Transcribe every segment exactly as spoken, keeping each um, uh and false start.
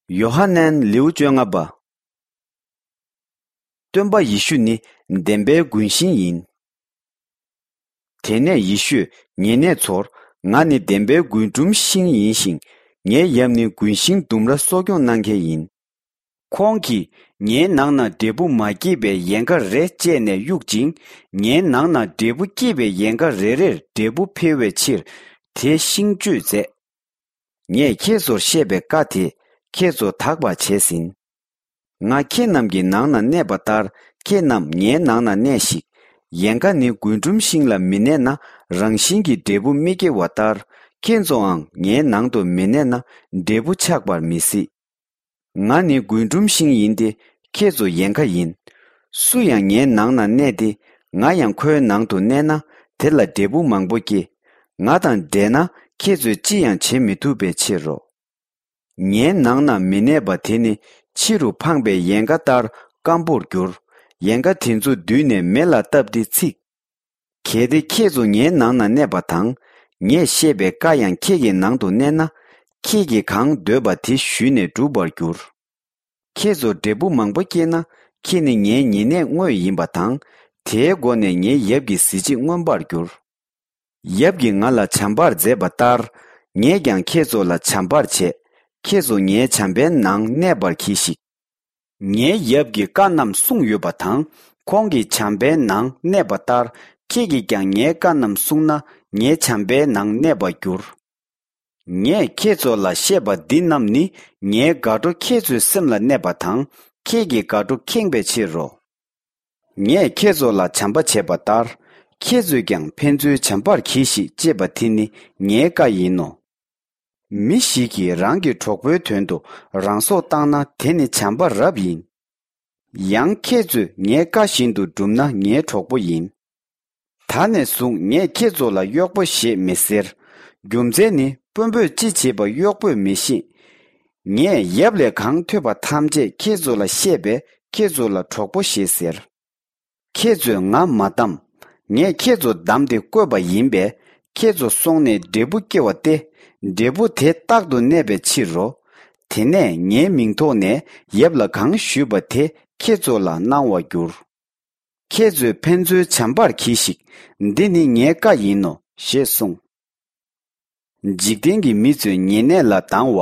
ཡོ་ཧ་ནན་ལེའུ་བཅོ་ལྔ་པ། སྟོན་པ་ཡེ་ཤུ་ནི་བདེན་པའི་རྒུན་ཤིང་ཡིན། དེ་ནས་ཡེ་ཤུས་ཉེ་གནས་ཚོར། ང་ནི་བདེན་པའི་རྒུན་འབྲུམ་ཤིང་ཡིན་ཞིང་། ངའི་ཡབ་ནི་རྒུན་ཤིང་ལྡུམ་ར་གསོ་སྐྱོང་གནང་མཁན་ཡིན། ཁོང་གིས་ངའི་ནང་ན་འབྲས་བུ་མ་སྐྱེས་པའི་ཡན་ག་རེ་བཅད་ནས་གཡུག་ཅིང་། ངའི་ནང་ན་འབྲས་བུ་སྐྱེས་པའི་ཡན་ག་རེ་རེར་འབྲས་བུ་འཕེལ་བའི་ཕྱིར་དེ་ཤིང་གཅོད་མཛད། ངས་ཁྱེད་ཚོར་བཤད་པའི་བཀའ་དེ་ཁྱེད་ཚོ་དག་པར་བྱས་ཟིན། ང་ཁྱེད་རྣམས་ཀྱི་ནང་ན་གནས་པ་ལྟར། ཁྱེད་རྣམས་ངའི་ནང་ན་གནས་ཤིག། ཡན་ག་ནི་རྒུན་འབྲུམ་ཤིང་ལ་མི་གནས་ན། རང་བཞིན་གྱིས་འབྲས་བུ་མི་སྐྱེ་བ་ལྟར། ཁྱེད་ཚོའང་ངའི་ནང་དུ་མི་གནས་ན། འབྲས་བུ་ཆགས་པར་མི་སྲིད། ང་ནི་རྒུན་འབྲུམ་ཤིང་ཡིན་ཏེ། ཁྱེད་ཚོ་ཡན་ག་ཡིན། སུ་ཡང་ངའི་ནང་ན་གནས་ཏེ། ང་ཡང་ཁོའི་ནང་དུ་གནས་ན། དེ་ལ་འབྲས་བུ་མང་པོ་སྐྱེ། ང་དང་འབྲལ་ན། ཁྱེད་ཚོས་ཅི་ཡང་བྱེད་མི་ཐུབ་པའི་ཕྱིར་རོ། ངའི་ནང་ན་མི་གནས་པ་དེ་ནི་ཕྱི་རུ་འཕངས་པའི་ཡན་ག་ལྟར་སྐམ་པོར་འགྱུར། ཡན་ག་དེ་ཚོ་བསྡུས་ནས་མེ་ལ་བཏབ་སྟེ་འཚིག། གལ་ཏེ་ཁྱེད་ཚོ་ངའི་ནང་ན་གནས་པ་དང་། ངས་བཤད་པའི་བཀའ་ཡང་ཁྱེད་ཀྱི་ནང་དུ་གནས་ན། ཁྱེད་ཀྱིས་གང་འདོད་པ་དེ་ཞུས་ནས་འགྲུབ་པར་འགྱུར། ཁྱེད་ཚོ་འབྲས་བུ་མང་པོ་སྐྱེས་ན། ཁྱེད་ནི་ངའི་ཉེ་གནས་དངོས་ཡིན་པ་དང་། དེའི་སྒོ་ནས་ངའི་ཡབ་ཀྱི་གཟི་བརྗིད་མངོན་པར་འགྱུར། ཡབ་ཀྱིས་ང་ལ་བྱམས་པར་མཛད་པ་ལྟར། ངས་ཀྱང་ཁྱེད་ཚོ་ལ་བྱམས་པར་བྱས། ཁྱེད་ཚོ་ངའི་བྱམས་པའི་ནང་གནས་པར་གྱིས་ཤིག། ངའི་ཡབ་ཀྱིས་བཀའ་རྣམས་གསུངས་ཡོད་པ་དང་། ཁོང་གི་བྱམས་པའི་ནང་གནས་པ་ལྟར། ཁྱེད་ཀྱིས་ཀྱང་ངའི་བཀའ་རྣམས་བསྲུངས་ན། ངའི་བྱམས་པའི་ནང་གནས་པར་འགྱུར། ངས་ཁྱེད་ཚོ་ལ་བཤད་པ་འདི་རྣམས་ནི། ངའི་དགའ་སྤྲོ་ཁྱེད་ཚོའི་སེམས་ལ་གནས་པ་དང་། ཁྱེད་ཀྱི་དགའ་སྤྲོ་ཁེངས་པའི་ཕྱིར་རོ། ངས་ཁྱེད་ཚོ་ལ་བྱམས་པ་བྱས་པ་ལྟར། ཁྱེད་ཚོས་ཀྱང་ཕན་ཚུན་བྱམས་པར་གྱིས་ཤིག། ཅེས་པ་དེ་ནི་ངའི་བཀའ་ཡིན་ནོ། མི་ཞིག་གིས་རང་གི་གྲོགས་པོའི་དོན་དུ་རང་སྲོག་བཏང་ན། དེ་ནི་བྱམས་པ་རབ་ཡིན། ཡང་ཁྱེད་ཚོས་ངའི་བཀའ་བཞིན་དུ་བསྒྲུབས་ན། ངའི་གྲོགས་པོ་ཡིན། ད་ནས་བཟུང་ངས་ཁྱེད་ཚོ་ལ་གཡོག་པོ་ཞེས་མི་ཟེར། རྒྱུ་མཚན་ནི། དཔོན་པོས་ཅི་བྱེད་པ་གཡོག་པོས་མི་ཤེས། ངས་ཡབ་ལས་གང་ཐོས་པ་ཐམས་ཅད་ཁྱེད་ཚོ་ལ་བཤད་པས། ཁྱེད་ཚོ་ལ་གྲོགས་པོ་ཞེས་ཟེར། ཁྱེད་ཚོས་ང་མ་བདམས། ངས་ཁྱེད་ཚོ་བདམས་ཏེ་བསྐོས་པ་ཡིན་པས། ཁྱེད་ཚོ་སོང་ནས་འབྲས་བུ་སྐྱེ་བ་སྟེ། འབྲས་བུ་དེ་རྟག་ཏུ་གནས་པའི་ཕྱིར་རོ། དེ་ནས་ངའི་མིང་ཐོག་ནས་ཡབ་ལ་གང་ཞུས་པ་དེ་ཁྱེད་ཚོ་ལ་གནང་བར་འགྱུར། ཁྱེད་ཚོས་ཕན་ཚུན་བྱམས་པར་གྱིས་ཤིག། འདི་ནི་ངའི་བཀའ་ཡིན་ནོ། ཞེས་གསུངས། འཇིག་རྟེན་གྱི་མི་ཚོས་ཉེ་གནས་ལ་སྡང་བ།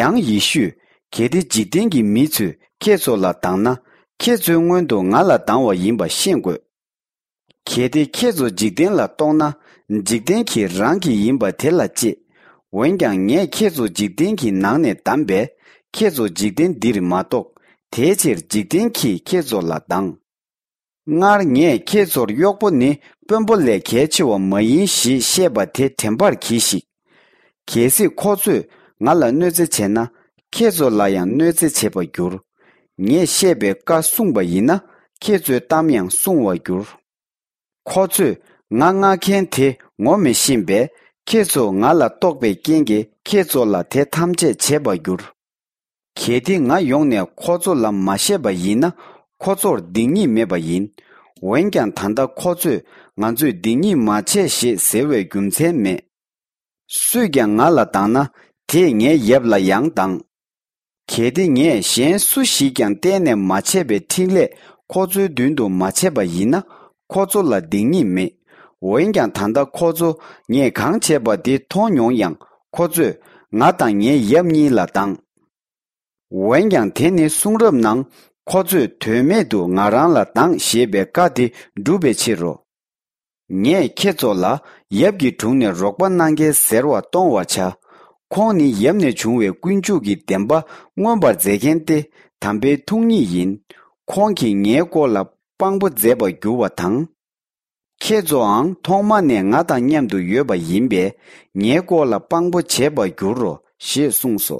ཡང་ཡེ་ཤུས། གལ་ཏེ་འཇིག་རྟེན་གྱི་མི་ཚོས་ཁྱེད་ཚོ་ལ་སྡང་ན། ཁྱེད་ཚོའི་སྔོན་དུ་ང་ལ་སྡང་བ་ཡིན་པ་ཤེས་དགོས། གལ་ཏེ་ཁྱེད་ཚོ་འཇིག་རྟེན་ལ་གཏོགས་ན། འཇིག་རྟེན་གྱིས་རང་གི་ཡིན་པ་དེ་ལ་གཅེས། འོན་ཀྱང་ངས་ཁྱེད་ཚོ་འཇིག་རྟེན་གྱི་ནང་ནས་བདམས་པས། ཁྱེད་ཚོ་འཇིག་རྟེན་འདིར་མ་གཏོགས། དེའི་ཕྱིར་འཇིག་རྟེན་གྱིས་ཁྱེད་ཚོ་ལ་སྡང་། སྔར་ངས་ཁྱེད་ཚོར་གཡོག་པོ་ནི་དཔོན་པོ་ལས་གལ་ཆེ་བ་མ་ཡིན་ཞེས་བཤད་པ་དེ་དྲན་པར་གྱིས་ཤིག། གལ་སྲིད་ཁོ་ཚོས་ང་ལ་གནོད་འཚེ་བྱས་ན། ཁྱེད་ཚོ་ལ་ཡང་གནོད་འཚེ་བྱེད་པར་འགྱུར། ངས་བཤད་པའི་བཀའ་བསྲུངས་པ་ཡིན་ན། ཁྱེད་ཚོའི་གཏམ་ཡང་བསྲུང་བར་འགྱུར། ཁོ་ཚོས་ང་མངགས་མཁན་དེ་ངོ་མི་ཤེས་པས། ཁྱེད་ཚོ་ང་ལ་གཏོགས་པའི་རྐྱེན་གྱིས་ཁྱེད་ཚོ་ལ་དེ་ཐམས་ཅད་བྱེད་པར་འགྱུར། གལ་ཏེ་ང་ཡོང་ནས་ཁོ་ཚོ་ལ་མ་བཤད་པ་ཡིན་ན། ཁོ་ཚོར་སྡིག་ཉེས་མེད་པ་ཡིན། འོན་ཀྱང་ད་ལྟ་ཁོ་ཚོས་ང་ཚོས་སྡིག་ཉེས་མ་བྱས་ཞེས་ཟེར་བའི་རྒྱུ་མཚན་མེད། སུས་ཀྱང་ང་ལ་སྡང་ན། དེས་ངའི་ཡབ་ལ་ཡང་སྡང་། གལ་ཏེ་ངས་གཞན་སུ་ཞིག་ཀྱང་གཏན་ནས་མ་བྱས་པའི་འཕྲིན་ལས་ཁོ་ཚོའི་མདུན་དུ་མ་བྱས་པ་ཡིན་ན། ཁོ་ཚོ་ལ་སྡིག་ཉེས་མེད། འོན་ཀྱང་ད་ལྟ་ཁོ་ཚོ་ངས་གང་བྱས་པ་དེ་མཐོང་མྱོང་ཡང་། ཁོ་ཚོས་ང་དང་ངའི་ཡབ་གཉིས་ལ་སྡང་། འོན་ཀྱང་དེ་ནི་གསུང་རབ་ནང་། ཁོ་ཚོས་དོན་མེད་དུ་ང་རང་ལ་སྡང་ཞེས་པའི་བཀའ་དེ་འགྲུབ་པའི་ཕྱིར་རོ། ངས་ཁྱེད་ཚོ་ལ་ཡབ་ཀྱི་དྲུང་ནས་རོགས་པ་གནང་མཁན་ཟེར་བ་གཏོང་བར་བྱ། ཁོང་ནི་ཡབ་ནས་བྱུང་བའི་ཀུན་སྤྱོད་ཀྱི་བདེན་པ་མངོན་པར་མཛད་མཁན་ཏེ། དམ་པའི་ཐུགས་ཉིད་ཡིན། ཁོང་གིས་ངའི་སྐོར་ལ་དཔང་པོ་མཛད་པར་འགྱུར་བ་དང་། ཁྱེད་ཚོའང་ཐོག་མ་ནས་ང་དང་མཉམ་དུ་ཡོད་པ་ཡིན་པས། ངའི་སྐོར་ལ་དཔང་པོ་བྱེད་པར་འགྱུར་རོ། ཞེས་གསུངས་སོ།